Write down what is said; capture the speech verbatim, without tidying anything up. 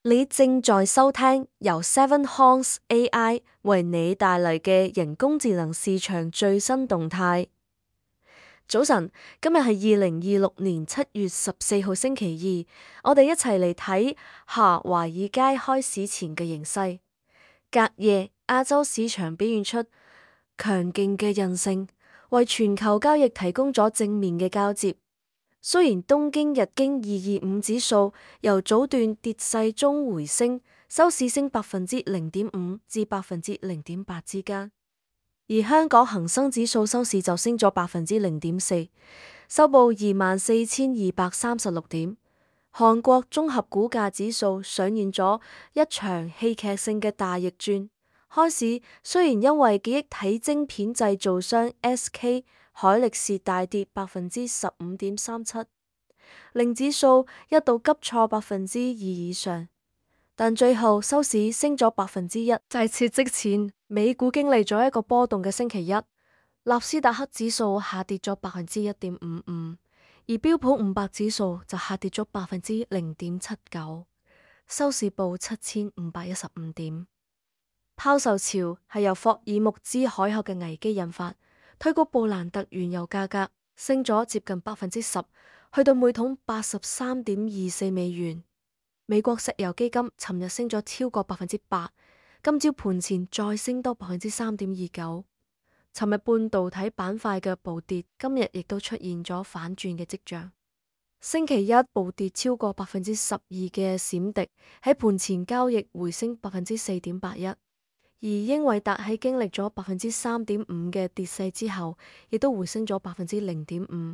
你正在收聽由 Seven Horns A I 為你帶嚟嘅人工智能市場最新動態。早晨，今日係二零二六年七月十四號星期二，我哋一齊嚟睇下華爾街開市前嘅形勢。隔夜，亞洲市場表現出強勁嘅韌性，為全球交易提供咗正面嘅交接。雖然東京日經二二五指數由早段跌勢中回升，收市升百分之零點五至百分之零點八之間，而香港恒生指數收市就升咗百分之零點四，收報二萬四千二百三十六點。韓國綜合股價指數上演咗一場戲劇性嘅大逆轉，開市雖然因為記憶體晶片製造商 S K 海力士大跌百分之十五點三七，令指數一度急挫百分之二以上，但最後收市升咗百分之一。就係撤職前，美股經歷咗一個波動嘅星期一，納斯達克指數下跌咗百分之一點五五，而標普五百指數就下跌咗百分之零點七九，收市報七千五百一十五點。拋售潮係由霍爾木茲海峽嘅危機引發，推高布蘭特原油價格升咗接近百分之十，去到每桶八十三點二四美元。美國石油基金尋日升咗超過百分之八，今朝盤前再升多百分之三點二九。尋日半導體板塊嘅暴跌，今日亦都出現咗反轉嘅跡象。星期一暴跌超過百分之十二嘅閃迪喺盤前交易回升百分之四點八一。而英偉達喺經歷咗百分之三點五嘅跌勢之後，亦都回升咗百分之零點五。